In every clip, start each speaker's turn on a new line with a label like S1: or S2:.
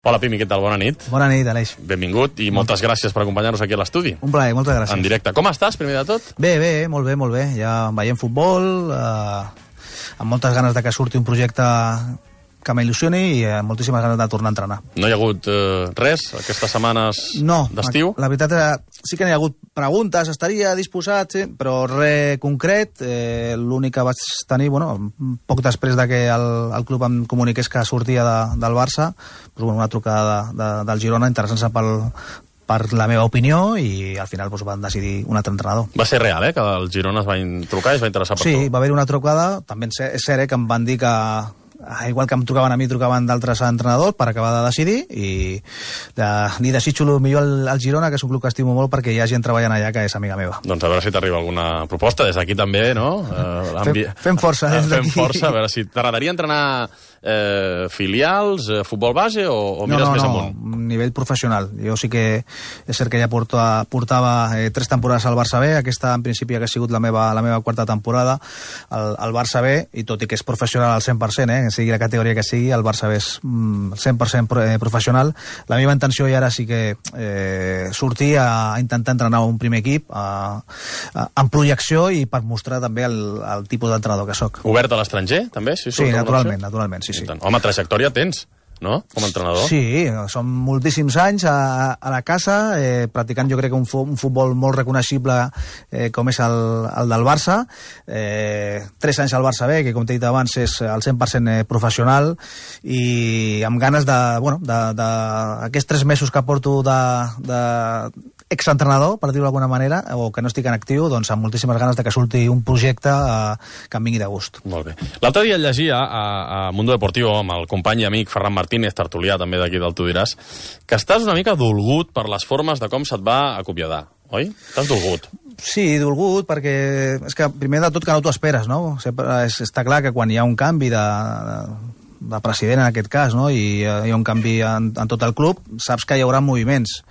S1: Hola, Pimi, què tal? Bona nit.
S2: Bona nit, Aleix.
S1: Benvingut i moltes gràcies per acompanyar-nos aquí a l'estudi.
S2: Un plaer, moltes gràcies.
S1: En directe. Com estàs, primer de tot?
S2: Bé, molt bé. Ja veiem futbol, amb moltes ganes de que surti un projecte que m'il·lusioni i moltíssimes ganes de tornar a entrenar.
S1: No hi ha hagut res aquestes setmanes d'estiu?
S2: No, la veritat sí que n'hi ha hagut preguntes, estaria disposat, sí, però res concret. L'únic que vaig tenir, poc després de que el club em comuniqués que sortia del Barça, una trucada del Girona interessant-se per la meva opinió i al final van decidir un altre entrenador.
S1: Va ser real, que el Girona es va trucar i es va interessar per tu?
S2: Sí, va haver una trucada, també és cert que em van dir que igual que em trucaven a mi, trucaven d'altres entrenadors per acabar de decidir i li desitjo el millor al Girona, que és un club que estimo molt perquè hi ha gent treballant allà que és amiga meva.
S1: Doncs a veure si t'arriba alguna proposta des d'aquí també, no?
S2: Fem força des d'aquí.
S1: Fem força, a veure si t'agradaria entrenar filials, futbol base o mires més amunt?
S2: No, nivell professional. Jo sí que és cert que ja portava 3 temporades al Barça B, aquesta en principi ha sigut la meva quarta temporada al Barça B, i tot i que és professional al 100%, sigui la categoria que sigui, el Barça B és 100% professional. La meva intenció ja ara sí que sortir a intentar entrenar un primer equip en projecció i per mostrar també el tipus d'entrenador que soc.
S1: Obert a l'estranger, també?
S2: Sí, naturalment, sí.
S1: Home, trajectòria tens, no? Com a entrenador.
S2: Sí, són moltíssims anys a la casa, practicant jo crec que un futbol molt reconeixible com és el del Barça. 3 anys al Barça B, que com t'he dit abans és al 100% professional, i amb ganes aquests 3 mesos que porto de exentrenador, per dir-ho d'alguna manera, o que no estic en actiu, doncs amb moltíssimes ganes de que surti un projecte que em vingui de gust.
S1: Molt bé. L'altre dia llegia a Mundo Deportivo amb el company i amic Ferran Martínez, tertulià també d'aquí del Tu diràs, que estàs una mica dolgut per les formes de com se't va acomiadar, oi? Estàs dolgut.
S2: Sí, dolgut, perquè és que primer de tot que no t'ho esperes, no? Està clar que quan hi ha un canvi de president en aquest cas, no? I hi ha un canvi en tot el club, saps que hi haurà moviments.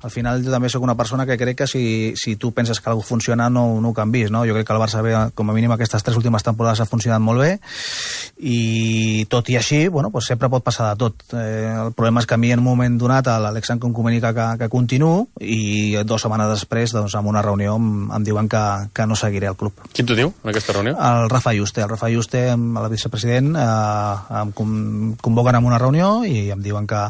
S2: Al final jo també sóc una persona que crec que si tu penses que alguna funciona no ho canvis, no? Jo crec que el Barça B, com a mínim aquestes 3 últimes temporades ha funcionat molt bé, i tot i així, sempre pot passar de tot. El problema és que a mi en un moment donat l'Àlex em comunica que continuo, i 2 setmanes després, doncs, en una reunió em diuen que no seguiré al club.
S1: Qui t'ho diu en aquesta reunió?
S2: El Rafa Yuste, el vicepresident, em convoquen en una reunió i em diuen que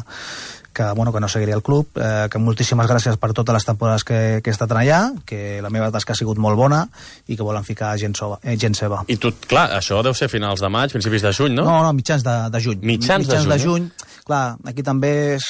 S2: no seguiria el club, que moltíssimes gràcies per totes les temporades que he estat allà, que la meva tasca ha sigut molt bona i que volen ficar gent seva.
S1: I tu, clar, això deu ser finals de maig, principis de juny, no?
S2: No, mitjans de juny.
S1: Mitjans de juny.
S2: Clar, aquí també és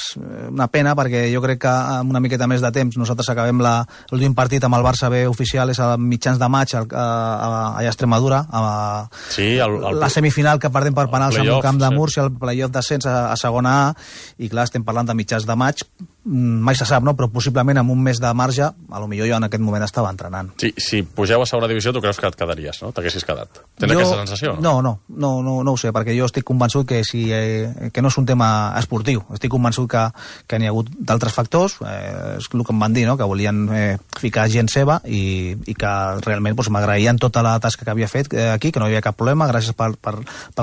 S2: una pena perquè jo crec que amb una miqueta més de temps nosaltres acabem l'últim partit amb el Barça B oficial és a mitjans de maig allà a Extremadura, la semifinal que perdem per penals en el camp de Múrcia, el playoff d'ascens a segona A, i clar, estem parlant de mitjans de maig, mai se sap, no? Però possiblement amb un mes de marge, potser jo en aquest moment estava entrenant.
S1: Sí, si pugeu a segona divisió, tu creus que et quedaries, no? T'haguessis quedat. Tens aquesta sensació, no?
S2: No ho sé, perquè jo estic convençut que no és un tema esportiu. Estic convençut que n'hi ha hagut d'altres factors, és el que em van dir, no? Que volien ficar gent seva i que realment m'agraïen tota la tasca que havia fet aquí, que no hi havia cap problema, gràcies pel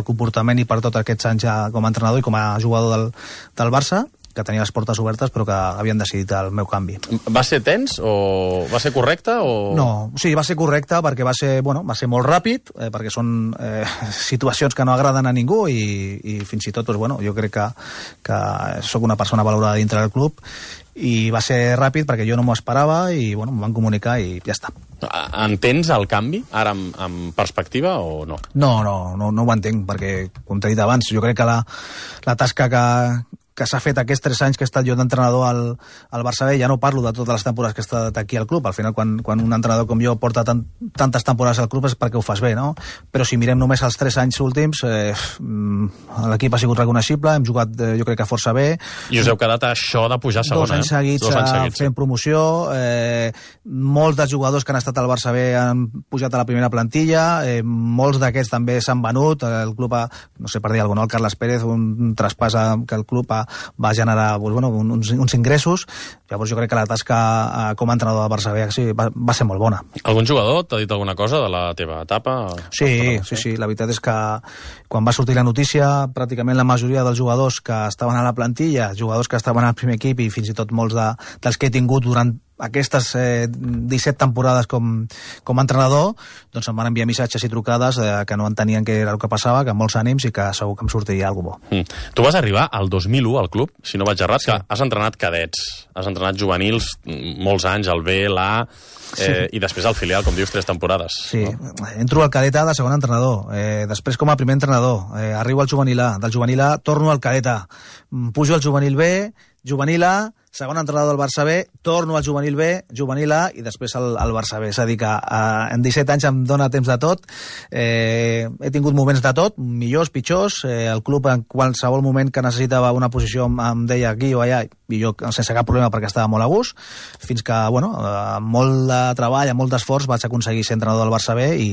S2: comportament i per tots aquests anys com a entrenador i com a jugador del Barça, que tenia les portes obertes però que havien decidit el meu canvi.
S1: Va ser tens o va ser correcte?
S2: No, sí, va ser correcte perquè va ser molt ràpid, perquè són situacions que no agraden a ningú i fins i tot jo crec que sóc una persona valorada dintre del club, i va ser ràpid perquè jo no m'ho esperava i em van comunicar i ja està.
S1: Entens el canvi ara amb perspectiva o no?
S2: No ho entenc, perquè com t'he dit abans, jo crec que la tasca que s'ha fet aquests 3 anys que he estat jo d'entrenador al Barça B, ja no parlo de totes les temporades que he estat aquí al club, al final quan un entrenador com jo porta tantes temporades al club és perquè ho fas bé, no? Però si mirem només els 3 anys últims, l'equip ha sigut reconeixible, hem jugat jo crec que força bé.
S1: I us heu quedat a això de pujar a segona,
S2: 2 anys seguits fent promoció, molts dels jugadors que han estat al Barça B han pujat a la primera plantilla, molts d'aquests també s'han venut, el club no sé per dir alguna cosa, el Carles Pérez, un traspàs que el club ha va generar uns ingressos. Llavors jo crec que la tasca com a entrenador del Barça B va ser molt bona.
S1: Algun jugador t'ha dit alguna cosa de la teva etapa?
S2: Sí. La veritat és que quan va sortir la notícia, pràcticament la majoria dels jugadors que estaven a la plantilla, jugadors que estaven al primer equip i fins i tot molts dels que he tingut durant aquestes 17 temporades com a entrenador, doncs em van enviar missatges i trucades que no entenien què era el que passava, que molts ànims i que segur que em sortiria alguna cosa bo.
S1: Tu vas arribar al 2001 al club, si no vaig errat, que has entrenat cadets, has entrenat juvenils molts anys, al B, l'A, i després al filial, com dius, 3 temporades.
S2: Sí, entro al cadet A de segon entrenador, després com a primer entrenador, arribo al juvenil A, del juvenil A torno al cadet A, pujo al juvenil B, juvenil A, segon entrenador del Barça B, torno al juvenil B, juvenil A i després al Barça B. És a dir que en 17 anys em dóna temps de tot, he tingut moments de tot, millors, pitjors, el club en qualsevol moment que necessitava una posició em deia aquí o allà, i jo sense cap problema perquè estava molt a gust, fins que, amb molt de treball, amb molt d'esforç, vaig aconseguir ser entrenador del Barça B i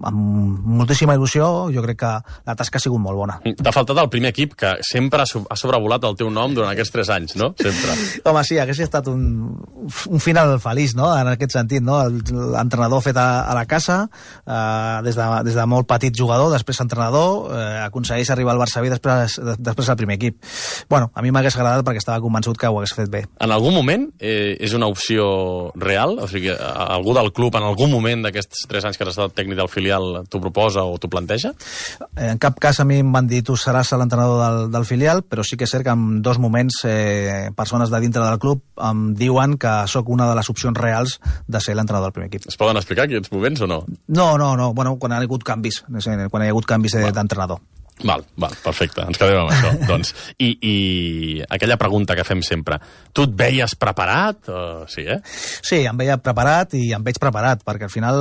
S2: amb moltíssima il·lusió jo crec que la tasca ha sigut molt bona.
S1: T'ha faltat el primer equip, que sempre ha sobrevolat el teu nom durant aquests 3 anys, no? Sempre.
S2: Home, sí, hagués estat un final feliç, no?, en aquest sentit, no? L'entrenador fet a la casa, des de molt petit jugador, després entrenador, aconsegueix arribar al Barça B i després al primer equip. A mi m'hagués agradat perquè estava convençut que ho hagués fet bé.
S1: En algun moment és una opció real? O sigui, algú del club en algun moment d'aquests 3 anys que has estat tècnic del filial t'ho proposa o t'ho planteja?
S2: En cap cas a mi em van dir tu seràs l'entrenador del filial, però sí que és cert que en 2 moments persones de dintre del club em diuen que sóc una de les opcions reals de ser l'entrenador del primer equip.
S1: Es poden explicar aquests moments o no?
S2: No. Quan hi ha hagut canvis, quan hi ha hagut canvis d'entrenador.
S1: Val, perfecte, ens quedem amb això. Doncs, i aquella pregunta que fem sempre, tu et veies preparat? Sí,
S2: Sí, em veia preparat i em veig preparat, perquè al final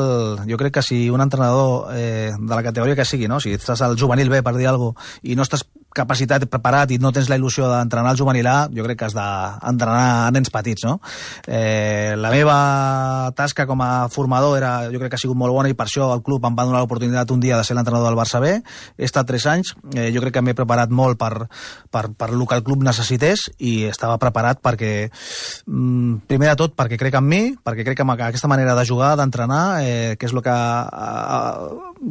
S2: jo crec que si un entrenador de la categoria que sigui, no? Si estàs al juvenil B, per dir alguna cosa, i no estàs capacitat, preparat i no tens la il·lusió d'entrenar al juvenil A, jo crec que has d'entrenar a nens petits, no? La meva tasca com a formador jo crec que ha sigut molt bona i per això el club em va donar l'oportunitat un dia de ser l'entrenador del Barça B. He estat 3 anys, jo crec que m'he preparat molt per el que el club necessités i estava preparat perquè, primer de tot, perquè crec en mi, perquè crec en aquesta manera de jugar, d'entrenar, que és el que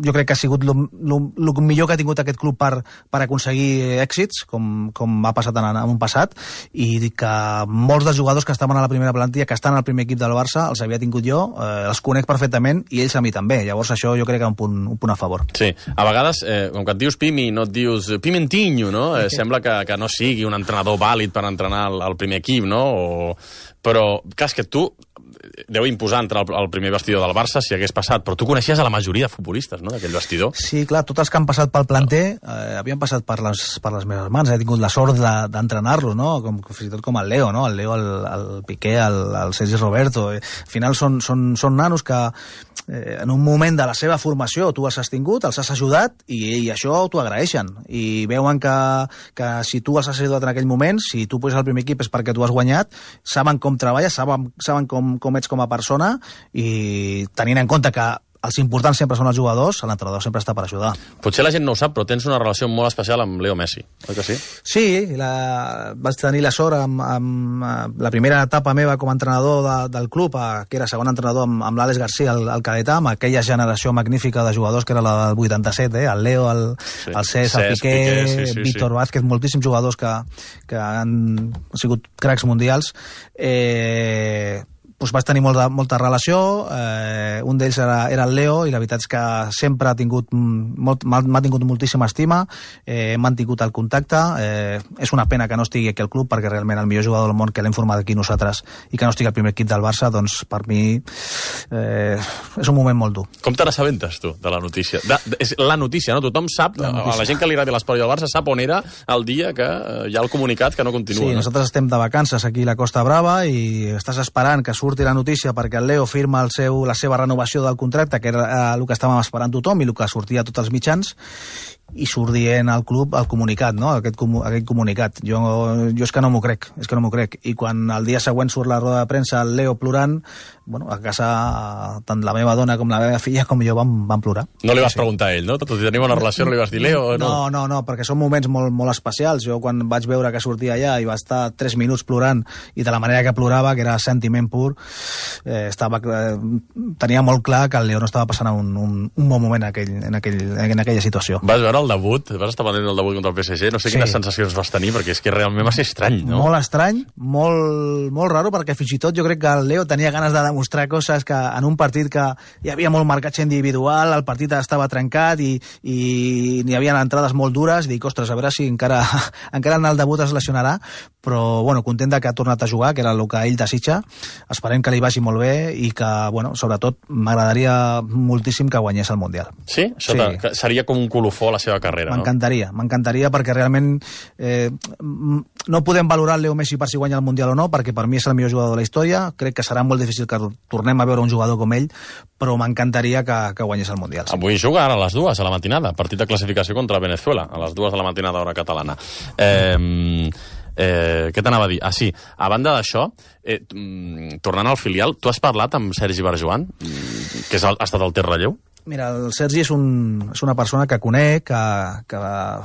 S2: jo crec que ha sigut el millor que ha tingut aquest club per aconseguir èxits, com ha passat en un passat, i que molts dels jugadors que estaven a la primera plantilla, que estan al primer equip del Barça, els havia tingut jo, els conec perfectament i ells a mi també. Llavors això jo crec que és un punt a favor.
S1: Sí, a vegades, com que et dius Pimi, no et dius Pimentinho, no? Sembla que no sigui un entrenador vàlid per entrenar el primer equip, no? Però, clar, és que tu deu imposar entrar al primer vestidor del Barça si hagués passat, però tu coneixies a la majoria de futbolistes, no?, d'aquell vestidor.
S2: Sí, clar, tots els que han passat pel planter havien passat per les meves mans, he tingut la sort d'entrenar-los, no?, fins i tot com el Leo, no?, el Leo, el Piqué, el Sergi Roberto. Al final són nanos que en un moment de la seva formació tu els has tingut, els has ajudat i això t'ho agraeixen i veuen que si tu els has ajudat en aquell moment, si tu puges al primer equip és perquè tu has guanyat, saben com treballes, saben com ets com a persona i tenint en compte que els importants sempre són els jugadors, l'entrenador sempre està per ajudar.
S1: Potser la gent no ho sap, però tens una relació molt especial amb Leo Messi, oi que sí?
S2: Sí, vaig tenir la sort amb la primera etapa meva com a entrenador del club, que era segon entrenador amb l'Àlex García al Cadetà, amb aquella generació magnífica de jugadors que era la del 87, el Leo, el Cesc, el Piqué, Víctor Vázquez, moltíssims jugadors que han sigut cracs mundials. Vaig tenir molta relació, un d'ells era el Leo i la veritat és que sempre m'ha tingut moltíssima estima, hem mantingut el contacte, és una pena que no estigui aquí al club perquè realment el millor jugador del món que l'hem format aquí nosaltres i que no estigui al primer equip del Barça, doncs per mi és un moment molt dur.
S1: Com te n'assabentes tu de la notícia? És la notícia, no? Tothom sap, la gent que li agrada l'esport i el Barça sap on era el dia que hi ha el comunicat que no continua.
S2: Sí, nosaltres estem de vacances aquí a la Costa Brava i estàs esperant que surti la notícia perquè el Leo firma la seva renovació del contracte, que era el que estàvem esperant tothom i el que sortia a tots els mitjans, i surt dient al club el comunicat, no? Aquest comunicat. Jo és que no m'ho crec, I quan el dia següent surt la roda de premsa el Leo plorant, bueno, a casa tant la meva dona com la meva filla com jo vam plorar.
S1: No li vas preguntar a ell, no? Tot i tenir una relació no li vas dir Leo, no?
S2: No, perquè són moments molt especials. Jo quan vaig veure que sortia allà i va estar 3 minuts plorant i de la manera que plorava, que era sentiment pur, tenia molt clar que el Leo no estava passant un bon moment en aquella situació.
S1: Vas veure el debut? Vas estar pendent del debut contra el PSG? No sé quines sensacions vas tenir, perquè és que realment va ser estrany, no?
S2: Molt estrany, molt raro, perquè fins i tot jo crec que el Leo tenia ganes de demostrar coses que en un partit que hi havia molt marcatge individual, el partit estava trencat i n'hi havia entrades molt dures, i dic, ostres, a veure si encara en el debut es lesionarà, però bueno, content que ha tornat a jugar, que era el que ell desitja. Esperem que li vagi molt bé i que, bueno, sobretot m'agradaria moltíssim que guanyés el Mundial.
S1: Sí? Això seria com un colofó a la seva carrera, no?
S2: M'encantaria perquè realment no podem valorar el Leo Messi per si guanya el Mundial o no, perquè per mi és el millor jugador de la història. Crec que serà molt difícil que tornem a veure un jugador com ell, però m'encantaria que guanyés el Mundial. Sí.
S1: Avui juga ara a les 2 a la matinada, partit de classificació contra Venezuela, a les 2 de la matinada hora catalana. Què t'anava a dir? Ah, sí, a banda d'això, tornant al filial, tu has parlat amb Sergi Barjuan, que ha estat el teu relleu?
S2: Mira, el Sergi és una persona que conec, que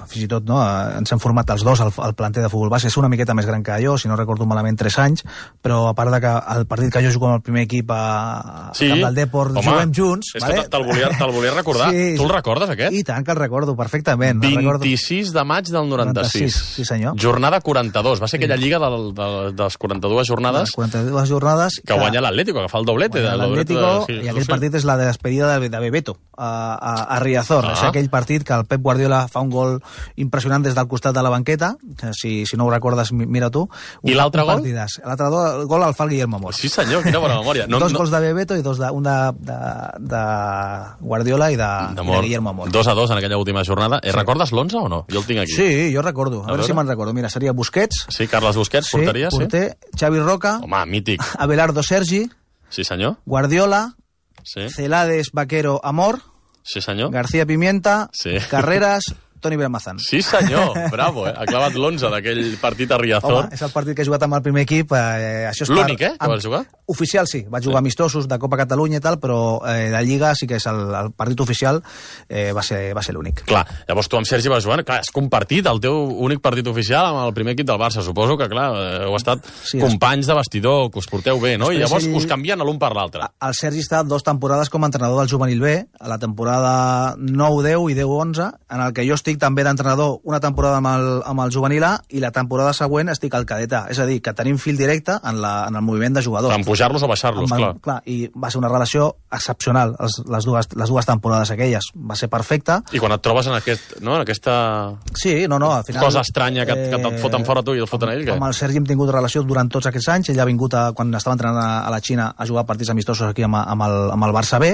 S2: fins i tot ens hem format els dos al planter de futbol base. És una miqueta més gran que jo, si no recordo malament 3 anys, però a part de que el partit que jo jugo amb el primer equip a Camp del Deport, juguem junts.
S1: És que te'l volia recordar. Sí, tu el recordes, aquest?
S2: I tant que el recordo, perfectament.
S1: 26 de maig del 96.
S2: Sí, senyor.
S1: Jornada 42. Va ser aquella lliga dels 42 jornades.
S2: 42 jornades.
S1: Que guanya l'Atlético, que fa el doblete.
S2: L'Atlético, i aquell partit és la despedida de Bebeto a Riazor. És aquell partit que el Pep Guardiola fa un gol impressionant des del costat de la banqueta. Si no ho recordes, mira tu.
S1: I l'altre gol?
S2: L'altre gol el fa el Guillermo Amor.
S1: Sí, senyor, quina bona memòria.
S2: Dos gols de Bebeto i un de Guardiola i de Guillermo Amor.
S1: 2-2 en aquella última jornada. Recordes l'11 o no? Jo el tinc aquí.
S2: Sí, jo recordo. A veure si me'n recordo. Mira, seria Busquets.
S1: Sí, Carles Busquets, porteria, sí.
S2: Porter, Xavi Roca.
S1: Home, mític.
S2: Abelardo Sergi.
S1: Sí, senyor.
S2: Guardiola.
S1: Sí.
S2: Celades, Vaquero, Amor.
S1: Sí, senyor.
S2: García Pimienta.
S1: Sí.
S2: Carreras, Toni Belmazán.
S1: Sí, senyor. Bravo, Ha clavat l'11 d'aquell partit a Riazor.
S2: Home, és el partit que he jugat amb el primer equip.
S1: L'únic, que vas jugar?
S2: Oficial, sí. Vaig jugar amistosos de Copa Catalunya i tal, però de Lliga sí que és el partit oficial, va ser l'únic.
S1: Clar, llavors tu amb Sergi Barjuan, clar, has compartit el teu únic partit oficial amb el primer equip del Barça. Suposo que, clar, heu estat companys de vestidor, que us porteu bé, no? I llavors us canvien l'un per l'altre.
S2: El Sergi està 2 temporades com a entrenador del juvenil B, a la temporada 9-10 i 10-11, en el que jo estic també d'entrenador una temporada amb el juvenil A i la temporada següent estic al cadet A. És a dir, que tenim fil directe en el moviment de jugadors.
S1: En pujar-los o baixar-los, clar.
S2: I va ser una relació excepcional, les dues temporades aquelles. Va ser perfecta.
S1: I quan et trobes en aquesta
S2: sí, al final,
S1: cosa estranya que et foten fora tu i el foten a ell, què?
S2: Amb el Sergi hem tingut relació durant tots aquests anys. Ell ha vingut, quan estava entrenant a la Xina, a jugar partits amistosos aquí amb el Barça B.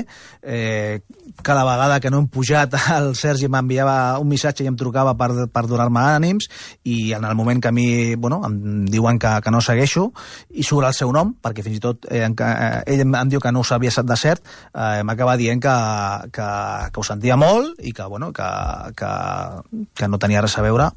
S2: Cada vegada que no hem pujat, el Sergi m'enviava un missatge i em trucava per donar-me ànims, i en el moment que a mi em diuen que no segueixo i surt el seu nom, perquè fins i tot ell em diu que no ho sabia de cert, m'acaba dient que ho sentia molt i que no tenia res a veure.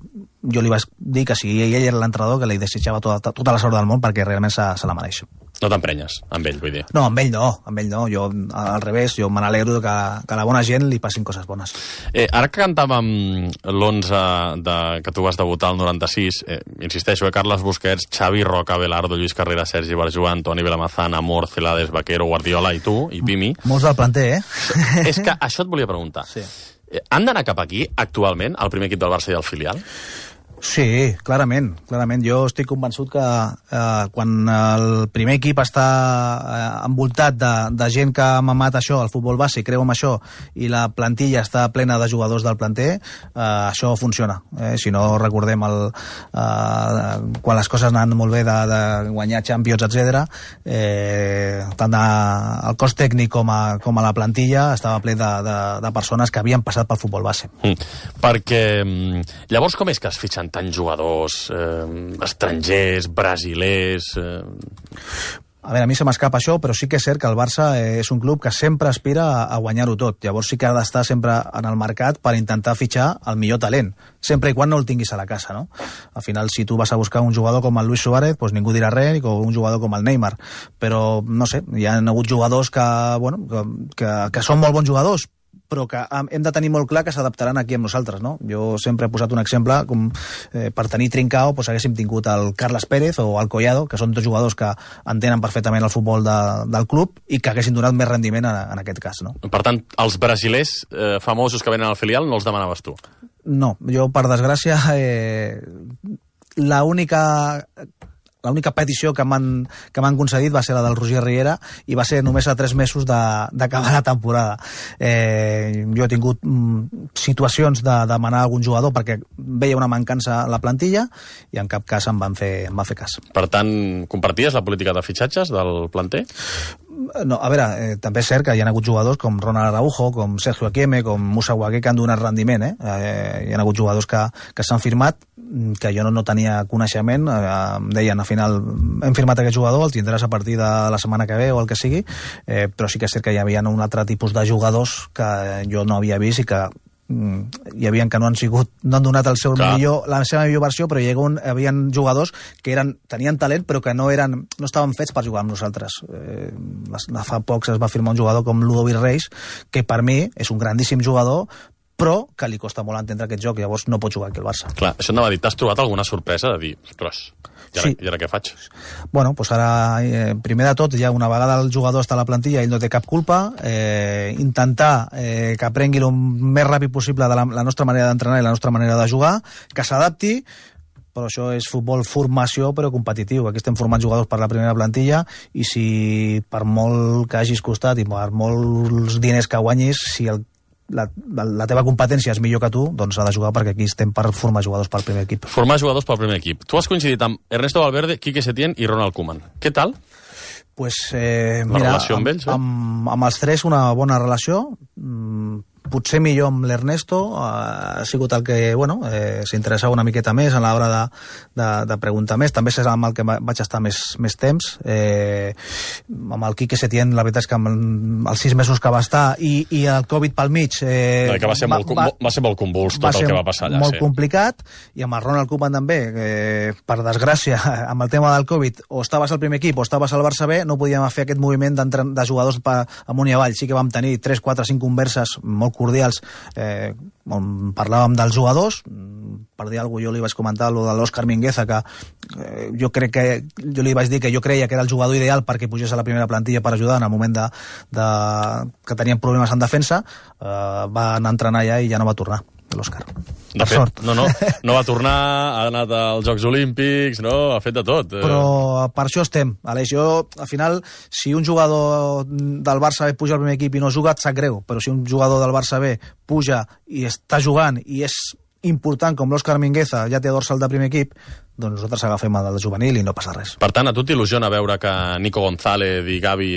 S2: Jo li vaig dir que si ell era l'entrenador, que li desitjava tota la sort del món, perquè realment se la mereix.
S1: No t'emprenyes amb ell, vull dir.
S2: No, amb ell no. Jo, al revés, jo me n'alegro que a la bona gent li passin coses bones.
S1: Ara que cantàvem l'11 que tu vas debutar al 96, insisteixo, Carles Busquets, Xavi Roca, Abelardo, Lluís Carrera, Sergi Barjuan, Toni Belmazán, Amor, Celades, Vaquero, Guardiola i tu, i Pimi.
S2: Molts del planter,
S1: És que això et volia preguntar.
S2: Sí.
S1: Han d'anar cap aquí, actualment, el primer equip del Barça i el filial?
S2: Sí, clarament. Jo estic convençut que quan el primer equip està envoltat de gent que ha mamat això, el futbol base, creu en això, i la plantilla està plena de jugadors del planter, això funciona. Si no recordem quan les coses anaven molt bé de guanyar Champions, etc., tant el cos tècnic com a la plantilla estava ple de persones que havien passat pel futbol base.
S1: Perquè llavors com és que es fitxen tants jugadors estrangers, brasilers...
S2: A veure, a mi se m'escapa això, però sí que és cert que el Barça és un club que sempre aspira a guanyar-ho tot. Llavors sí que ha d'estar sempre en el mercat per intentar fitxar el millor talent, sempre i quan no el tinguis a la casa, no? Al final, si tu vas a buscar un jugador com el Luis Suárez, doncs ningú dirà res, o un jugador com el Neymar. Però, no sé, hi ha hagut jugadors que són molt bons jugadors, però que hem de tenir molt clar que s'adaptaran aquí amb nosaltres, no? Jo sempre he posat un exemple, com per tenir Trincao doncs haguéssim tingut el Carles Pérez o el Collado, que són dos jugadors que entenen perfectament el futbol del club i que haguessin donat més rendiment en aquest cas, no?
S1: Per tant, els brasilers famosos que venen al filial no els demanaves tu?
S2: No, jo, per desgràcia, l'única petició que m'han concedit va ser la del Roger Riera i va ser només a 3 mesos d'acabar la temporada. Jo he tingut situacions de demanar algun jugador perquè veia una mancança a la plantilla i en cap cas em van fer cas.
S1: Per tant, comparties la política de fitxatges del planter?
S2: No, a veure, també és cert que hi ha hagut jugadors com Ronald Araujo, com Sergio Akieme, com Moussa Wagué, que han donat rendiment, hi ha hagut jugadors que s'han firmat, que jo no tenia coneixement, em deien al final hem firmat aquest jugador, el tindràs a partir de la setmana que ve o el que sigui, però sí que és cert que hi havia un altre tipus de jugadors que jo no havia vist i que hi havia que no han donat la seva millor versió, però hi havia jugadors que tenien talent però que no estaven fets per jugar amb nosaltres. Fa pocs es va firmar un jugador com Ludovic Reis, que per mi és un grandíssim jugador, però que li costa molt entendre aquest joc, llavors no pot jugar aquí al Barça.
S1: Clar, això anava a dir, t'has trobat alguna sorpresa de dir, ostres, i ara què faig?
S2: Bueno, doncs ara, primer de tot, ja una vegada el jugador està a la plantilla, ell no té cap culpa, intentar que aprengui el més ràpid possible de la nostra manera d'entrenar i la nostra manera de jugar, que s'adapti, però això és futbol formació però competitiu. Aquí estem formant jugadors per la primera plantilla i si per molt que hagis costat i per molts diners que guanyis, si la teva competència és millor que tu, doncs ha de jugar, perquè aquí estem per formar jugadors pel primer equip.
S1: Formar jugadors pel primer equip. Tu has coincidit amb Ernesto Valverde, Quique Setién i Ronald Koeman. Què tal?
S2: Pues,
S1: la relació amb ells?
S2: Amb els tres una bona relació, potser millor amb l'Ernesto, ha sigut el que s'interessava una miqueta més a l'hora de preguntar més, també és amb el que vaig estar més temps. Amb el Quique Setién, la veritat és que els 6 mesos que va estar i el Covid pel mig
S1: que va ser molt convuls tot el que va passar allà,
S2: molt complicat, i amb el Ronald Koeman també, per desgràcia amb el tema del Covid, o estaves al primer equip o estaves al Barça B, no podíem fer aquest moviment de jugadors amunt i avall. Sí que vam tenir 3, 4, 5 converses molt cordials on parlàvem dels jugadors. Per dir alguna cosa, jo li vaig comentar lo de l'Òscar Mingueza, que jo li vaig dir que jo creia que era el jugador ideal perquè pugés a la primera plantilla per ajudar en el moment que tenien problemes en defensa. Va anar a entrenar allà i ja no va tornar, l'Òscar.
S1: De fet, no va tornar, ha anat als Jocs Olímpics, ha fet de tot.
S2: Però per això estem, Aleix. Jo, al final, si un jugador del Barça B puja al primer equip i no juga, et sap greu, però si un jugador del Barça B puja i està jugant i és important, com l'Òscar Mingueza ja té dorsal de primer equip, doncs nosaltres agafem el del juvenil i no passa res.
S1: Per tant, a tu t'il·lusiona veure que Nico González i Gavi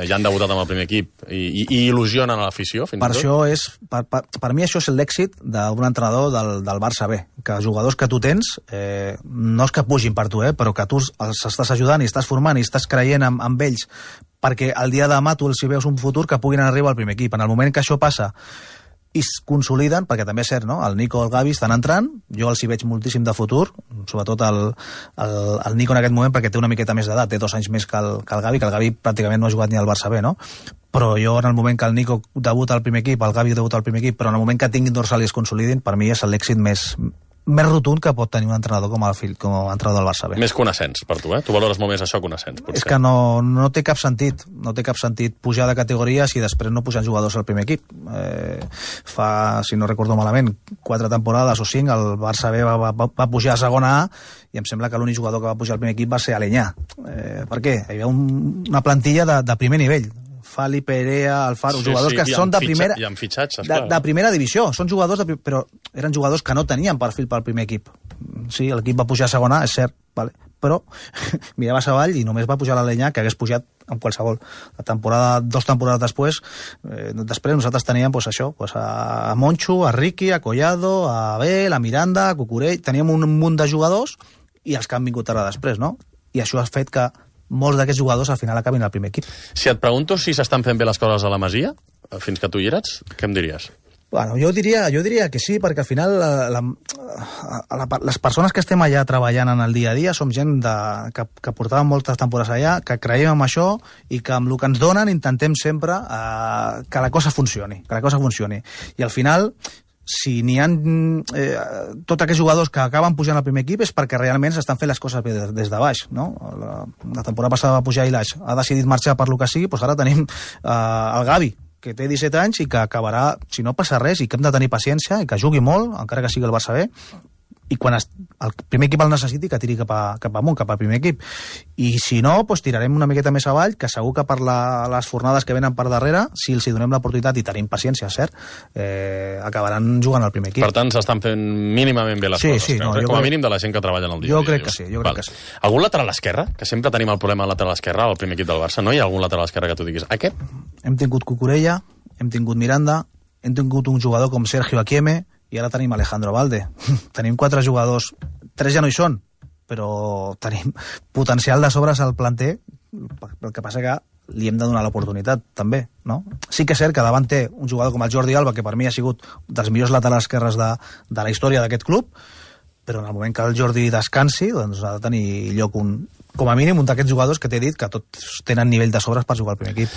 S1: ja han debutat amb el primer equip i il·lusionen a l'afició, fins i tot?
S2: Per mi això és l'èxit d'un entrenador del Barça B, que els jugadors que tu tens no és que pugin per tu, però que tu els estàs ajudant i estàs formant i estàs creient amb ells, perquè el dia de demà tu els hi veus un futur que puguin arribar al primer equip. En el moment que això passa i es consoliden, perquè també és cert, no? El Nico i el Gavi estan entrant, jo els hi veig moltíssim de futur, sobretot el Nico en aquest moment, perquè té una miqueta més d'edat, té 2 anys més que el Gavi, que el Gavi pràcticament no ha jugat ni al Barça B, no? Però jo en el moment que el Nico debuta al primer equip, el Gavi debuta al primer equip, però en el moment que tinguin dorsal i es consolidin, per mi és l'èxit més rotund que pot tenir un entrenador com entrenador del Barça B.
S1: Més que un ascens per tu, Tu valores molt més això que un ascens, potser.
S2: És que no té cap sentit. No té cap sentit pujar de categoria si després no pugen jugadors al primer equip. Fa, si no recordo malament, 4 temporades o 5, el Barça B va pujar a segona A i em sembla que l'únic jugador que va pujar al primer equip va ser Aleñà. Per què? Hi havia una plantilla de primer nivell. Fali, Perea, Alfaro, jugadors que són de primera...
S1: I amb fitxatges, clar.
S2: De primera divisió. Són jugadors, però eren jugadors que no tenien perfil pel primer equip. Sí, l'equip va pujar a segona, és cert, vale. Però miraves avall i només va pujar l'Aleñà, que hagués pujat amb qualsevol. 2 temporades després nosaltres teníem a Moncho, a Riqui, a Collado, a Abel, a Miranda, a Cucurell... Teníem un munt de jugadors i els que han vingut ara després, no? I això ha fet que molts d'aquests jugadors al final acabin al primer equip.
S1: Si et pregunto si s'estan fent bé les coses a la Masia, fins que tu hi eres, què em diries?
S2: Bueno, jo diria que sí, perquè al final les persones que estem allà treballant en el dia a dia som gent que portàvem moltes temporades allà, que creiem en això i que amb el que ens donen intentem sempre que la cosa funcioni, I al final, si n'hi ha tots aquests jugadors que acaben pujant al primer equip és perquè realment s'estan fent les coses bé des de baix, no? La temporada passada va pujar Ilaix, ha decidit marxar per lo que sigui, doncs ara tenim el Gavi, que té 17 anys i que acabarà, si no passa res, i que hem de tenir paciència i que jugui molt, encara que sigui el Barça B, i quan el primer equip el necessiti que tiri cap amunt, cap al primer equip. I si no, doncs tirarem una miqueta més avall, que segur que per les fornades que venen per darrere, si els donem l'oportunitat i tenim paciència, cert, acabaran jugant al primer equip.
S1: Per tant, s'estan fent mínimament bé les coses.
S2: Sí, no,
S1: com a mínim de la gent que treballa en el dia.
S2: Jo crec que sí.
S1: Algun lateral esquerre? Que sempre tenim el problema del lateral esquerre al primer equip del Barça. No hi ha algun lateral esquerre que tu diguis aquest?
S2: Hem tingut Cucurella, hem tingut Miranda, hem tingut un jugador com Sergio Akieme, i ara tenim Alejandro Valde. Tenim 4 jugadors, 3 ja no hi són, però tenim potencial de sobres al planter, el que passa que li hem de donar l'oportunitat, també, no? Sí que és cert que davant té un jugador com el Jordi Alba, que per mi ha sigut dels millors laterals esquerres de la història d'aquest club, però en el moment que el Jordi descansi, doncs ha de tenir lloc com a mínim un d'aquests jugadors que t'he dit que tots tenen nivell de sobres per jugar al primer equip.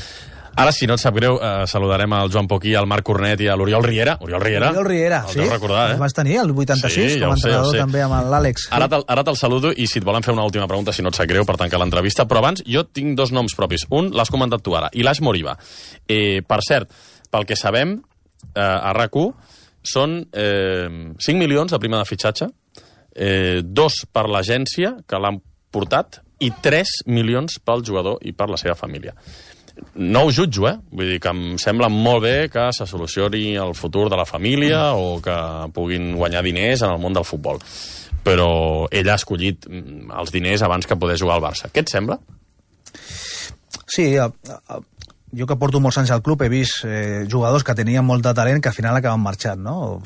S1: Ara, si no et sap greu, saludarem al Joan Poquí, al Marc Cornet i a l'Oriol Riera. Oriol Riera,
S2: sí.
S1: El deus recordar,
S2: El vas tenir, el 86, sí, com a entrenador també amb l'Àlex.
S1: Ara te'l saludo i si et volen fer una última pregunta, si no et sap greu, per tancar l'entrevista. Però abans, jo tinc 2 noms propis. Un, l'has comentat tu ara, Ilaix Moriba. Per cert, pel que sabem, a RAC1, són 5 milions de prima de fitxatge, 2 per l'agència, que l'han portat, i 3 milions pel jugador i per la seva família. No ho jutjo, Vull dir que em sembla molt bé que se solucioni el futur de la família o que puguin guanyar diners en el món del futbol. Però ell ha escollit els diners abans que poder jugar al Barça. Què et sembla?
S2: Sí, jo que porto molts anys al club he vist jugadors que tenien molt de talent que al final acaben marxant, no?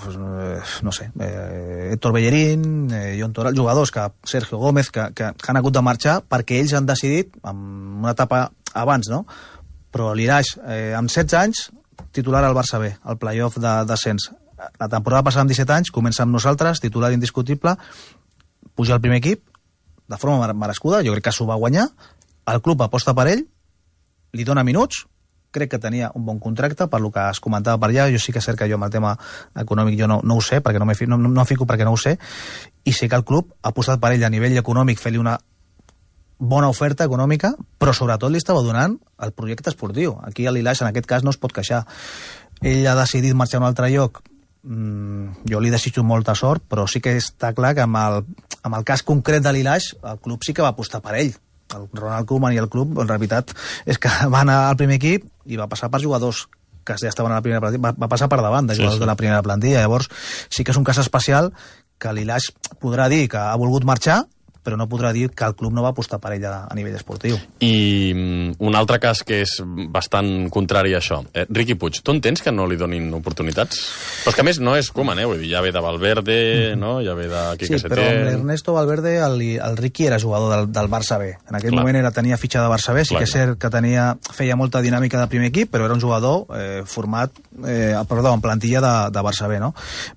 S2: No sé, Héctor Bellerín, Jon Toral, jugadors Sergio Gómez, que han hagut de marxar perquè ells han decidit, en una etapa abans, no? Però l'Iraix, amb 16 anys, titular al Barça B, al play-off de descens. La temporada passada amb 17 anys, comença amb nosaltres, titular indiscutible, puja al primer equip, de forma merescuda, jo crec que s'ho va guanyar, el club aposta per ell, li dona minuts, crec que tenia un bon contracte, per lo que es comentava per allà, jo sí que és cert que jo amb el tema econòmic jo no ho sé, perquè no fico perquè no ho sé, i sé que el club ha apostat per ell a nivell econòmic, fer-li una bona oferta econòmica, però sobretot li estava donant el projecte esportiu. Aquí a l'Ilaix, en aquest cas, no es pot queixar. Ell ha decidit marxar a un altre lloc. Jo li desitjo molta sort, però sí que està clar que amb el cas concret de l'Ilaix, el club sí que va apostar per ell. El Ronald Koeman i el club, en realitat, és que va anar al primer equip i va passar per jugadors que ja estaven a la primera plantilla, va passar per davant de jugadors de la primera plantilla. Llavors, sí que és un cas especial que l'Ilaix podrà dir que ha volgut marxar, però no podrà dir que el club no va apostar per ell a nivell esportiu.
S1: I un altre cas que és bastant contrari a això. Riqui Puig, tu entens que no li donin oportunitats? Però és que a més no és Koeman, vull dir, ja ve de Valverde, no? Ja ve de Quique Setién...
S2: Sí, però amb l'Ernesto Valverde el Riqui era jugador del Barça B. En aquell moment tenia fitxa de Barça B, sí que és cert que feia molta dinàmica de primer equip, però era un jugador en plantilla de Barça B, no?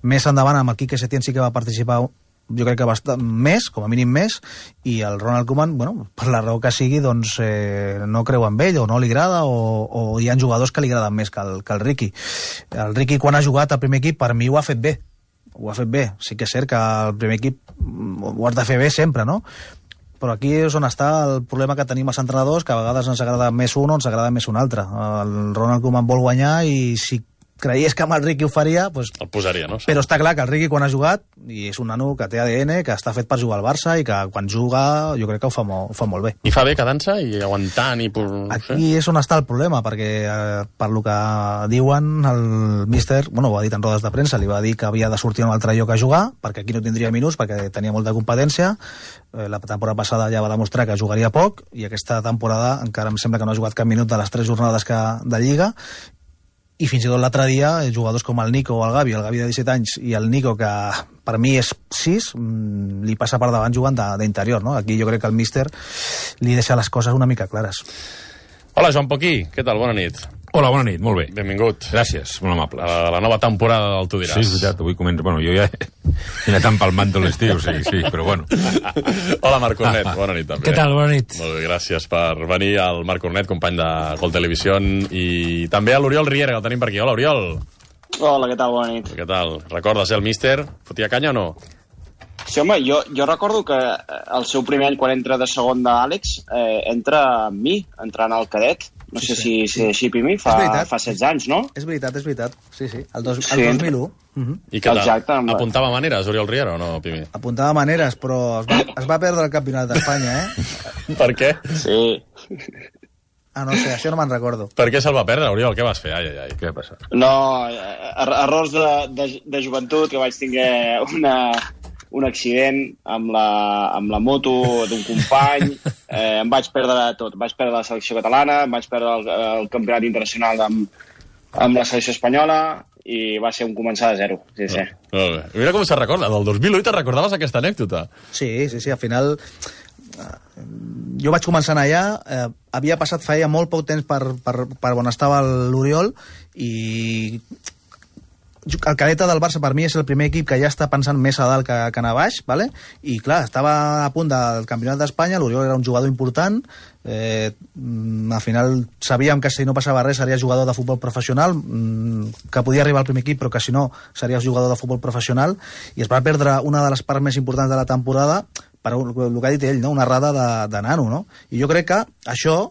S2: Més endavant amb el Quique Setién sí que va participar jo crec que bastant més, com a mínim més, i el Ronald Koeman, bueno, per la raó que sigui, doncs no creu en ell, o no li agrada, o hi ha jugadors que li agraden més que el Riqui. El Riqui, quan ha jugat al primer equip, per mi ho ha fet bé. Sí que és cert que el primer equip ho has de fer bé sempre, no? Però aquí és on està el problema que tenim els entrenadors, que a vegades ens agrada més un o ens agrada més un altre. El Ronald Koeman vol guanyar i si creies que amb el Riqui ho faria, doncs...
S1: El posaria, no?
S2: Però està clar que el Riqui quan ha jugat, i és un nano que té ADN, que està fet per jugar al Barça, i que quan juga jo crec que ho fa molt bé.
S1: I fa bé quedant-se i aguantant i...
S2: Aquí és on està el problema, perquè per lo que diuen el míster, bueno, ho ha dit en rodes de premsa, li va dir que havia de sortir a un altre lloc a jugar, perquè aquí no tindria minuts, perquè tenia molta competència. La temporada passada ja va demostrar que jugaria poc, i aquesta temporada encara em sembla que no ha jugat cap minut de les 3 jornades de Lliga, i fins i tot l'altre dia, jugadors com el Nico o el Gavi de 17 anys, i el Nico, que per mi és 6, li passa per davant jugant d'interior, no? Aquí jo crec que el míster li deixa les coses una mica clares.
S1: Hola, Joan Poquí, què tal? Bona nit.
S3: Hola, bona nit, molt bé.
S1: Benvingut.
S3: Gràcies, molt amable.
S1: A la nova temporada del Tu diràs.
S3: Sí, és veritat, avui començo... Bueno, jo ja he anat empalmant tot l'estiu, sí, però bueno.
S1: Hola, Marc Cornet, bona nit també.
S4: Què tal, bona nit.
S1: Molt bé, gràcies per venir al Marc Cornet, company de Gol Televisió, i també a l'Oriol Riera, que el tenim per aquí. Hola, Oriol.
S5: Hola, què tal? Bona nit.
S1: Què tal? Recordes el míster? Fotia canya o no?
S5: Sí, home, jo recordo que el seu primer any, quan entra de segon d'Àlex, entra amb mi, entrant al cadet. No sé si és així, Pimi, fa 16 anys, no?
S2: És veritat. Sí. El 2001.
S1: I què tal?
S5: Exacte.
S1: Apuntava maneres, Oriol Riera, o no, Pimi?
S2: Apuntava maneres, però es va perdre el campionat d'Espanya, eh?
S1: Per què?
S5: Sí.
S2: No sé, això no me'n recordo.
S1: Per què se'l va perdre, Oriol? Què vas fer? Ai.
S3: Què va passar?
S5: No, errors de joventut, que vaig tinguer un accident amb la moto d'un company, em vaig perdre tot. Vaig perdre la selecció catalana, em vaig perdre el campionat internacional amb la selecció espanyola, i va ser un començar de zero. Sí.
S1: Molt bé. Mira com se recorda, del 2001 te'n recordaves aquesta anècdota?
S2: Sí, al final... Jo vaig començar allà, havia passat feia molt poc temps per on estava l'Oriol, i el cadeta del Barça per mi és el primer equip que ja està pensant més a dalt que a baix, ¿vale? I clar, estava a punt del campionat d'Espanya, l'Oriol era un jugador important, al final sabíem que si no passava res seria jugador de futbol professional, que podia arribar al primer equip, però que si no seria jugador de futbol professional, i es va perdre una de les parts més importants de la temporada per el que ha dit ell, no? Una errada de nano, no? I jo crec que això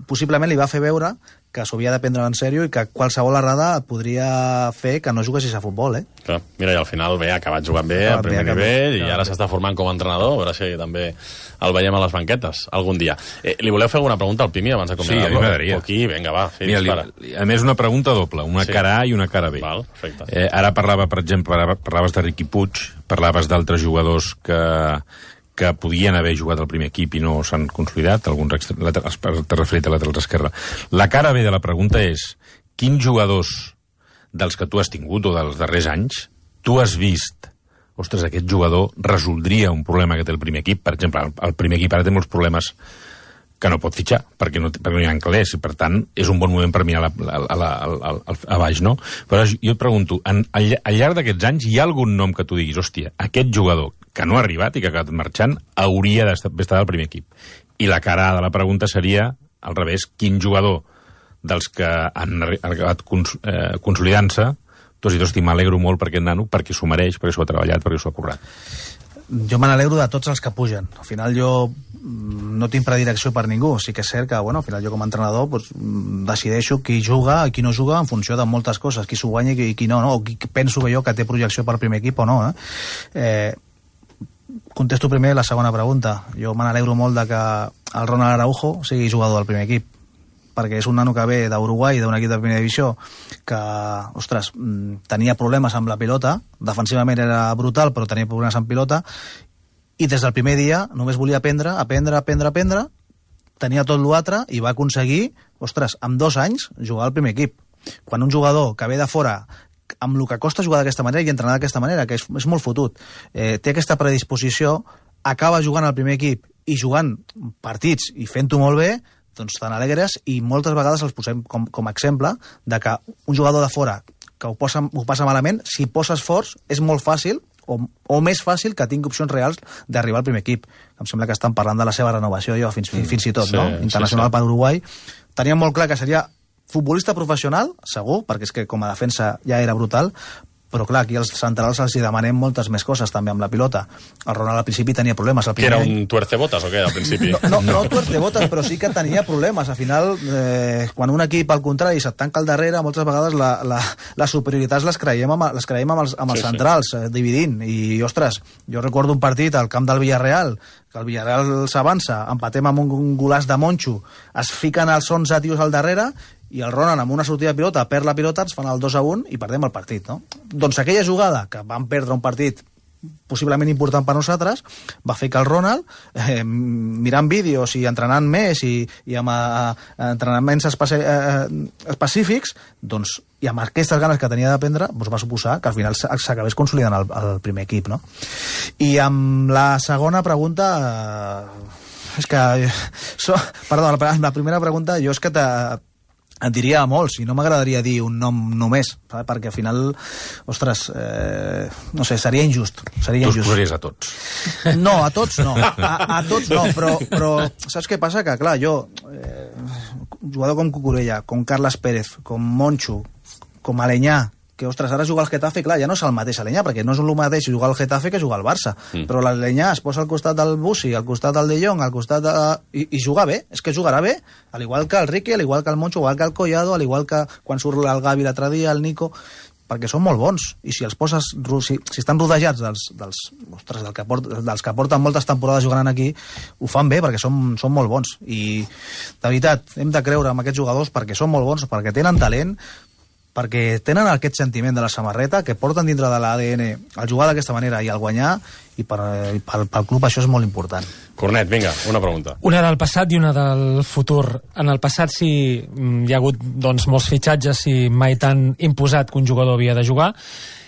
S2: possiblement li va fer veure que s'ho havia de prendre en sèrio i que qualsevol errada podria fer que no juguessis a futbol, eh?
S1: Clar, mira, i al final ha acabat jugant bé al primer nivell, i ara s'està formant com a entrenador, a veure si també el veiem a les banquetes algun dia. Li voleu fer alguna pregunta al Pimi abans de començar?
S3: Sí, a mi m'agradaria.
S1: Aquí, vinga, va,
S3: mira, a més, una pregunta doble, una cara A i una cara B.
S1: Val, perfecte.
S3: Ara parlava, per exemple, parlaves de Riqui Puig, parlaves d'altres jugadors que podien haver jugat al primer equip i no s'han consolidat, alguns t'has referit a laterals esquerra. La cara B de la pregunta és: quins jugadors dels que tu has tingut o dels darrers anys tu has vist, ostres, aquest jugador resoldria un problema que té el primer equip? Per exemple, el primer equip ara té molts problemes que no pot fitxar, perquè no hi ha calés, i per tant és un bon moment per mirar a baix, no? Però jo et pregunto, al llarg d'aquests anys hi ha algun nom que tu diguis, hòstia, aquest jugador que no ha arribat i que ha acabat marxant hauria d'estar al primer equip? I la cara A de la pregunta seria, al revés, quin jugador dels que han acabat consolidant-se tu has dit, hosti, m'alegro molt per aquest nano, perquè s'ho mereix, perquè s'ho ha treballat, perquè s'ho ha currat?
S2: Jo me n'alegro de tots els que pugen. Al final jo no tinc predilecció per ningú. Sí que és cert que, al final jo com a entrenador decideixo qui juga i qui no juga en funció de moltes coses, qui s'ho guanya i qui no, o qui penso que jo que té projecció per primer equip o no. Contesto primer la segona pregunta. Jo me n'alegro molt de que el Ronald Araujo sigui jugador del primer equip, perquè és un nano que ve d'Uruguai, d'un equip de primera divisió, que, ostres, tenia problemes amb la pilota, defensivament era brutal, però tenia problemes amb pilota, i des del primer dia només volia aprendre, tenia tot l'altre, i va aconseguir, ostres, amb 2 anys, jugar al primer equip. Quan un jugador que ve de fora, amb el que costa jugar d'aquesta manera i entrenar d'aquesta manera, que és molt fotut, té aquesta predisposició, acaba jugant al primer equip i jugant partits i fent-ho molt bé, doncs tan alegres, i moltes vegades els posem com a exemple de que un jugador de fora que ho passa malament, si posa esforç, és molt fàcil o més fàcil que tingui opcions reals d'arribar al primer equip. Em sembla que estan parlant de la seva renovació jo, fins i tot, no? Internacional per Uruguai. Teníem molt clar que seria futbolista professional, segur, perquè és que com a defensa ja era brutal, però clar, aquí als centrals els hi demanem moltes més coses també amb la pilota. El Ronald al principi tenia problemes.
S1: Que era un tuercebotes o què, al principi?
S2: No tuercebotes, però sí que tenia problemes. Al final, quan un equip al contrari se't tanca al darrere, moltes vegades les superioritats les creiem amb els centrals, dividint. I, ostres, jo recordo un partit al camp del Villarreal, que el Villarreal s'avança, empatem amb un golaç de Moncho, es fiquen els 11 tios al darrere, i el Ronan amb una sortida de pilota perd la pilota, ens fan el 2-1 i perdem el partit, no? Doncs aquella jugada, que van perdre un partit possiblement important per nosaltres, va fer que el Ronald, mirant vídeos i entrenant més i amb entrenaments específics, doncs, i amb aquestes ganes que tenia d'aprendre, doncs va suposar que al final s'acabés consolidant el primer equip, no? I amb la segona pregunta... és que... Perdó, la primera pregunta jo és que et diria molts, i no m'agradaria dir un nom només, perquè al final, ostres, no sé, seria injust.
S3: Tu els posaries a tots.
S2: No, a tots no. A tots no, però saps què passa? Que, clar, jo, jugador com Cucurella, com Carles Pérez, com Moncho, com Aleñà, que, ostres, ara jugar al Getafe, clar, ja no és el mateix Aleñà, perquè no és el mateix jugar al Getafe que jugar al Barça. Però l'Aleñà es posa al costat del Bussi, al costat del De Jong, al costat de... I jugar bé, és que jugarà bé, al igual que el Riqui, al igual que el Moncho, al igual que el Collado, al igual que quan surt el Gavi l'altre dia, el Nico, perquè són molt bons, i si els poses, si estan rodejats dels que porten moltes temporades jugant aquí, ho fan bé, perquè són molt bons, i de veritat, hem de creure en aquests jugadors perquè són molt bons, perquè tenen talent, perquè tenen aquest sentiment de la samarreta que porten dintre de l'ADN el jugar d'aquesta manera i el guanyar, i pel club això és molt important.
S1: Cornet, vinga, una pregunta.
S4: Una del passat i una del futur. En el passat sí hi ha hagut molts fitxatges i mai tan imposat que un jugador havia de jugar,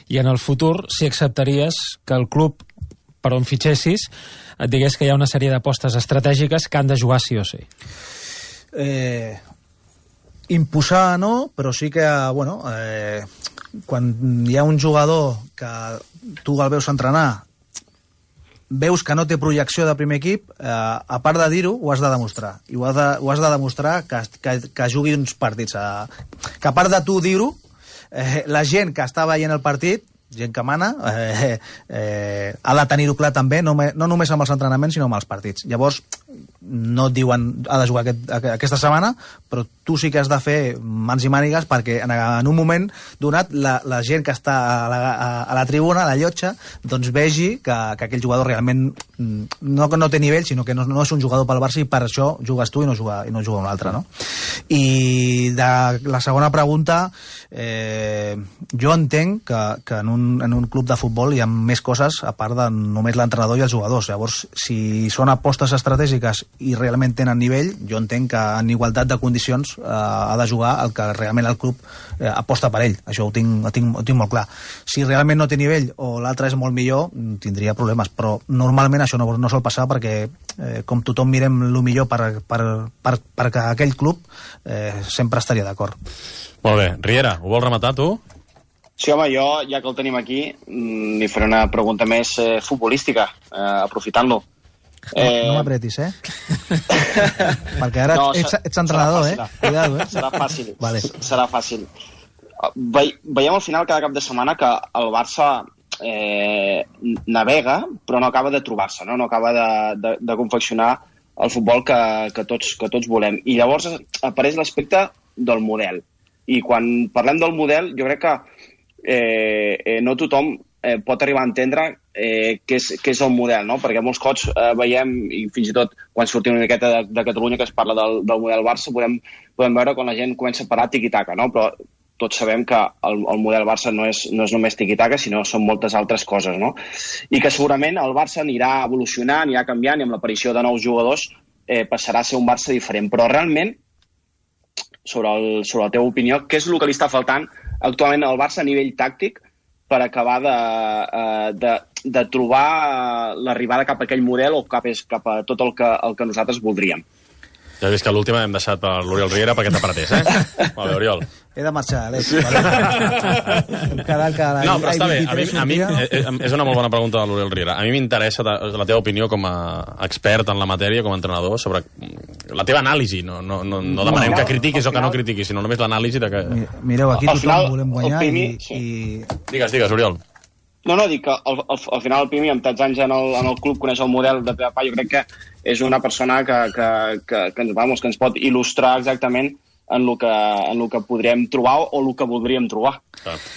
S4: i en el futur si acceptaries que el club per on fitxessis et digués que hi ha una sèrie d'apostes estratègiques que han de jugar sí o sí.
S2: Imposar no, però sí que, bueno, quan hi ha un jugador que tu el veus entrenar, veus que no té projecció de primer equip, a part de dir-ho, ho has de demostrar. I ho has de demostrar que jugui uns partits. Que a part de tu dir-ho, la gent que està veient el partit, gent que mana, ha de tenir-ho clar també, no només amb els entrenaments, sinó amb els partits. Llavors, no et diuen ha de jugar aquesta setmana, però tu sí que has de fer mans i mànigues perquè en un moment donat la gent que està a la tribuna, a la llotja, doncs vegi que aquell jugador realment no té nivell, sinó que no és un jugador pel Barça, i per això jugues tu i no juga un altre, no? I de la segona pregunta, jo entenc que en un club de futbol hi ha més coses a part de només l'entrenador i els jugadors. Llavors, si són apostes estratègiques i realment tenen nivell, jo entenc que en igualtat de condicions ha de jugar el que realment el club aposta per ell. Això ho tinc molt clar. Si realment no té nivell o l'altre és molt millor, tindria problemes, però normalment això no sol passar perquè com tothom mirem el millor perquè aquell club sempre estaria d'acord.
S1: Molt bé. Riera, ho vols rematar tu?
S5: Sí, home, jo, ja que el tenim aquí, li faré una pregunta més futbolística, aprofitant-lo.
S2: No m'apretis, perquè ara ets entrenador, Cuidado,
S5: Serà fàcil.
S2: Vale.
S5: Serà fàcil. Veiem al final cada cap de setmana que el Barça navega, però no acaba de trobar-se, no acaba de confeccionar el futbol que tots volem. I llavors apareix l'aspecte del model. I quan parlem del model, jo crec que no tothom pot arribar a entendre què és el model, no? Perquè molts cops veiem, i fins i tot quan sortim una miqueta de Catalunya que es parla del model Barça, podem veure quan la gent comença a parar tiqui-taca, no? Però tots sabem que el model Barça no és només tiqui-taca, sinó són moltes altres coses, no? I que segurament el Barça anirà evolucionant, anirà canviant, i amb l'aparició de nous jugadors passarà a ser un Barça diferent. Però realment, sobre la teva opinió, què és el que li està faltant actualment al Barça a nivell tàctic per acabar de trobar l'arribada cap a aquell model o cap a tot el que nosaltres voldríem?
S1: Ja has vist que l'última hem deixat per l'Oriol Riera perquè t'apretés, Molt bé, Oriol.
S2: He de marxar, Alex.
S1: Sí. No, però està bé. A mi és una molt bona pregunta de l'Oriol Riera. A mi m'interessa la teva opinió com a expert en la matèria, com a entrenador, sobre la teva anàlisi. No demanem que critiquis o que no critiquis, sinó només l'anàlisi de que...
S2: Mireu, aquí tothom volem guanyar i...
S1: Digues, Oriol.
S5: No, dic que al final el Pimi, amb tants anys en el club, coneix el model de Pep Pau. Jo crec que és una persona que ens pot il·lustrar exactament en el que podrem trobar o el que voldríem trobar.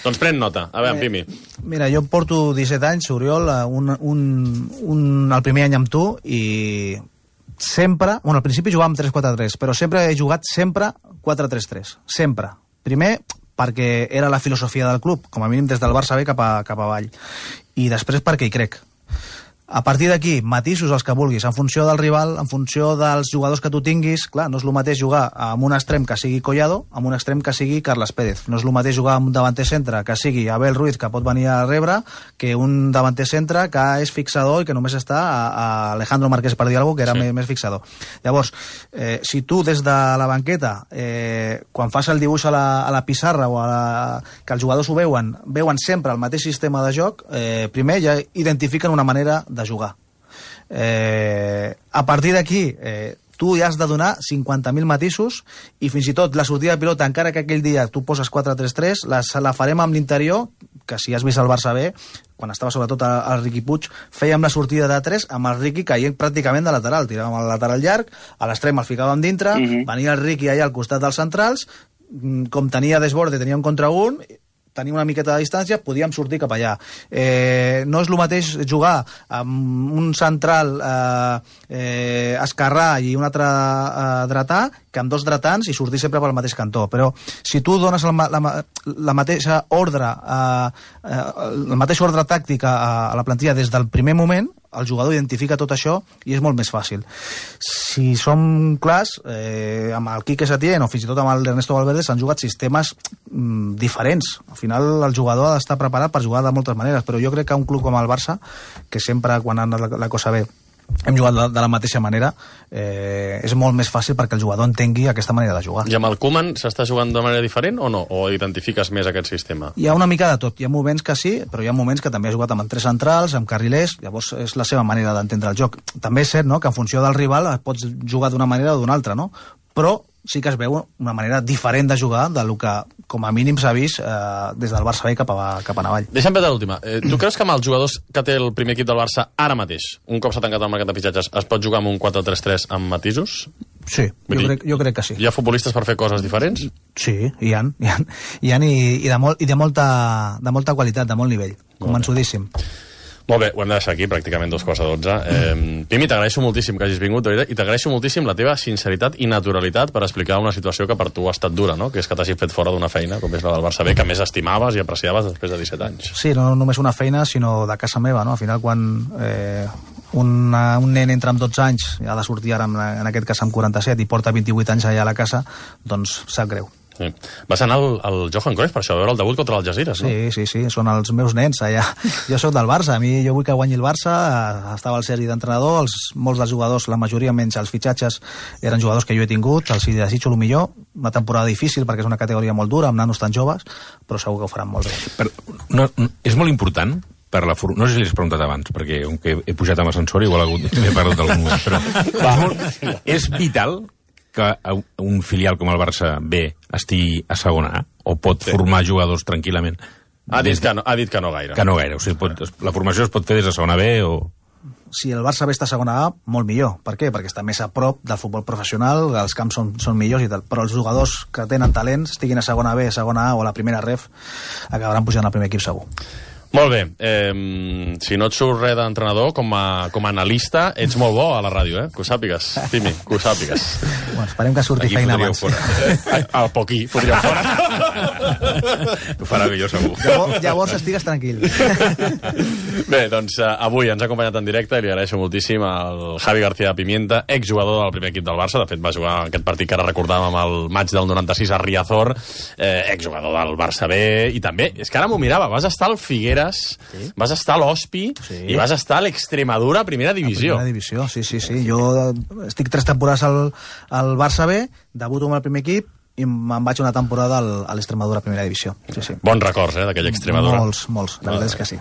S1: Doncs pren nota. A veure, Pimi.
S2: Mira, jo porto 17 anys, Oriol, el primer any amb tu, i sempre... Bueno, al principi jugàvem 3-4-3, però sempre he jugat 4-3-3. Sempre. Primer, perquè era la filosofia del club, com a mínim des del Barça B cap avall. I després perquè hi crec. A partir d'aquí, matisos els que vulguis, en funció del rival, en funció dels jugadors que tu tinguis. Clar, no és el mateix jugar amb un extrem que sigui Collado, amb un extrem que sigui Carles Pérez. No és el mateix jugar amb un davanter centre que sigui Abel Ruiz, que pot venir a rebre, que un davanter centre que és fixador i que només està a Alejandro Marqués, per dir alguna cosa, que era més fixador. Llavors, si tu des de la banqueta, quan fas el dibuix a la pissarra o que els jugadors ho veuen sempre el mateix sistema de joc, primer ja identifiquen una manera de jugar. A partir d'aquí, tu ja has de donar 50.000 matisos i fins i tot la sortida de pilota, encara que aquell dia tu poses 4-3-3, la farem amb l'interior, que si has vist el Barça B, quan estava sobretot el Riqui Puig, fèiem la sortida de 3 amb el Riqui caient pràcticament de lateral, tiràvem el lateral llarg, a l'extrem el ficàvem dintre, venia el Riqui allà al costat dels centrals, com tenia desborde, tenia un contra un, tenia una miqueta de distància, podíem sortir cap allà. No és el mateix jugar amb un central esquerrà i un altre dretà que amb dos dretans i sortir sempre pel mateix cantó. Però si tu dones la mateixa ordre, el mateix ordre tàctic a la plantilla des del primer moment, el jugador identifica tot això i és molt més fàcil. Si som clars, amb el Quique Setién o fins i tot amb l'Ernesto Valverde s'han jugat sistemes diferents. Al final el jugador ha d'estar preparat per jugar de moltes maneres, però jo crec que un club com el Barça, que sempre quan ha anat la cosa bé hem jugat de la mateixa manera, és molt més fàcil perquè el jugador entengui aquesta manera de jugar.
S1: I amb el Koeman s'està jugant de manera diferent o no? O identifiques més aquest sistema?
S2: Hi ha una mica de tot. Hi ha moments que sí, però hi ha moments que també ha jugat amb tres centrals, amb carrilers, llavors és la seva manera d'entendre el joc. També és cert, no?, que en funció del rival pots jugar d'una manera o d'una altra, no? Però sí que es veu una manera diferent de jugar del que, com a mínim, s'ha vist des del Barça B cap a Navall.
S1: Deixa'm veure l'última. Tu creus que amb els jugadors que té el primer equip del Barça ara mateix, un cop s'ha tancat el mercat de fitxatges, es pot jugar amb un 4-3-3 amb matisos?
S2: Sí, jo crec que sí.
S1: Hi ha futbolistes per fer coses diferents?
S2: Sí, hi ha i de molta qualitat, de molt nivell, convençudíssim.
S1: Molt bé, ho hem de deixar aquí, pràcticament 2:12. Pimi, t'agraeixo moltíssim que hagis vingut, i t'agraeixo moltíssim la teva sinceritat i naturalitat per explicar una situació que per tu ha estat dura, no?, que és que t'hagis fet fora d'una feina, com és la del Barça B, que més estimaves i apreciaves després de 17 anys.
S2: Sí, no només una feina, sinó de casa meva, no? Al final, quan un nen entra amb 12 anys, ha de sortir ara, en aquest cas amb 47, i porta 28 anys allà a la casa, doncs sap greu.
S1: Sí. Vas anar al Johan Cruyff per això, a veure el debut contra l'Algesires, no?
S2: Sí, són els meus nens allà. Jo sóc del Barça, jo vull que guanyi el Barça, estava el Sergi d'entrenador, molts dels jugadors, la majoria menys els fitxatges, eren jugadors que jo he tingut, els hi desitjo el millor, una temporada difícil perquè és una categoria molt dura, amb nanos tan joves, però segur que ho faran molt bé.
S3: És molt important per la no sé si l'he preguntat abans, perquè he pujat amb ascensor i igual m'he perdut algun moment, però és vital que un filial com el Barça B estigui a segona A, o pot formar jugadors tranquil·lament?
S1: Ha dit que no gaire.
S3: Que no gaire, o sigui, la formació es pot fer des de segona B o...
S2: Si el Barça B està a segona A, molt millor. Per què? Perquè està més a prop del futbol professional, els camps són millors i tal, però els jugadors que tenen talent, estiguin a segona B, a segona A o a la primera ref, acabaran pujant al primer equip segur.
S1: Molt bé, si no et surt res d'entrenador, com a analista, ets molt bo a la ràdio, que ho sàpigues, Pimi, que ho sàpigues.
S2: Bueno, esperem que surti feina abans.
S1: Al poquí, podríeu fora.
S3: Ho farà millor, segur.
S2: Llavors estigues tranquil.
S1: Bé, doncs avui ens ha acompanyat en directe i li agraeixo moltíssim al Javi García Pimienta, exjugador del primer equip del Barça. De fet, va jugar aquest partit que ara recordàvem el maig del 96 a Riazor, exjugador del Barça B, i també, és que ara m'ho mirava, vas estar al Figueres, sí. Vas estar a l'Hospi, sí. I vas estar a l'Extremadura Primera Divisió.
S2: Primera Divisió, sí. Jo estic 3 temporades al Barça B, debuto amb el primer equip i me'n vaig una temporada a l'Extremadura Primera Divisió. Sí.
S1: Bons records, d'aquella Extremadura.
S2: Molts, la veritat és que sí.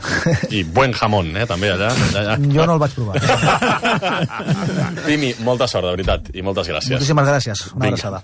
S1: I buen jamón, també, allà.
S2: Jo no el vaig provar.
S1: Pimi, molta sort, de veritat, i moltes gràcies.
S2: Moltíssimes gràcies. Una abraçada.